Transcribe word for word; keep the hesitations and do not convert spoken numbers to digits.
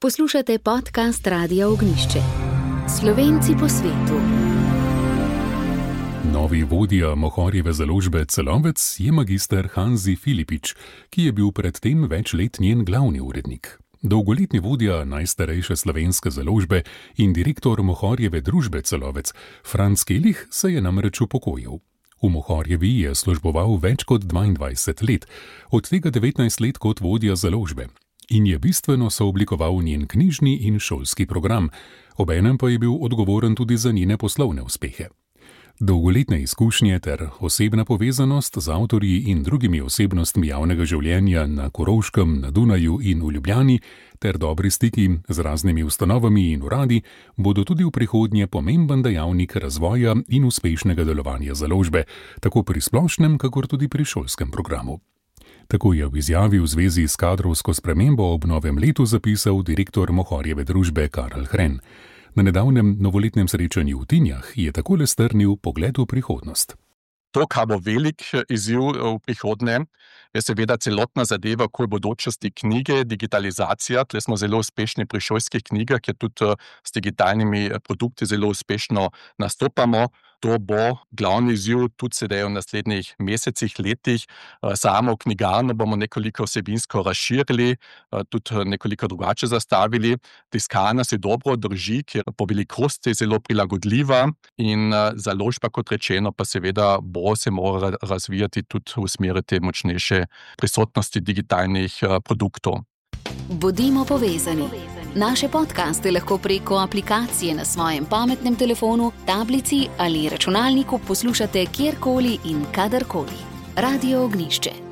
Poslušate podcast Radia Ognjišče. Slovenci po svetu. Novi vodja Mohorjeve založbe Celovec je magister Hanzi Filipič, ki je bil predtem več let njen glavni urednik. Dolgoletni vodja najstarejše slovenske založbe in direktor Mohorjeve družbe Celovec, Franc Kelih, se je namreč upokojil. V Mohorjevi je služboval več kot dvaindvajset let, od tega devetnajst let kot vodja založbe, in je bistveno sooblikoval njen knjižni in šolski program, obenem pa je bil odgovoren tudi za njene poslovne uspehe. Dolgoletne izkušnje ter osebna povezanost z avtorji in drugimi osebnostmi javnega življenja na Koroškem, na Dunaju in v Ljubljani ter dobri stiki z raznimi ustanovami in uradi bodo tudi v prihodnje pomemben dejavnik razvoja in uspešnega delovanja založbe, tako pri splošnem, kakor tudi pri šolskem programu. Tako je v izjavi v zvezi s kadrovsko spremembo ob novem letu zapisal direktor Mohorjeve družbe Karl Hren. Na nedavnem novoletnem srečanju v Tinjah je takole strnil pogled v prihodnost. To, kar bo velik izziv v prihodnje, je seveda celotna zadeva okoli bodočnosti knjige, digitalizacija. Tle smo zelo uspešni pri šolskih knjigah, ker tudi s digitalnimi produkti zelo uspešno nastopamo. To bo glavni izziv tudi sedaj v naslednjih mesecih, letih. Samo knjigarno bomo nekoliko vsebinsko razširili, tudi nekoliko drugače zastavili. Tiskarna se dobro drži, ker po velikosti zelo prilagodljiva in založba, kot rečeno, pa seveda bo se mora razvijati tudi v smeri te močnejše prisotnosti digitalnih produktov. Bodimo povezani. Naše podcaste lahko preko aplikacije na svojem pametnem telefonu, tablici ali računalniku poslušate kjerkoli in kadarkoli. Radio Ognjišče.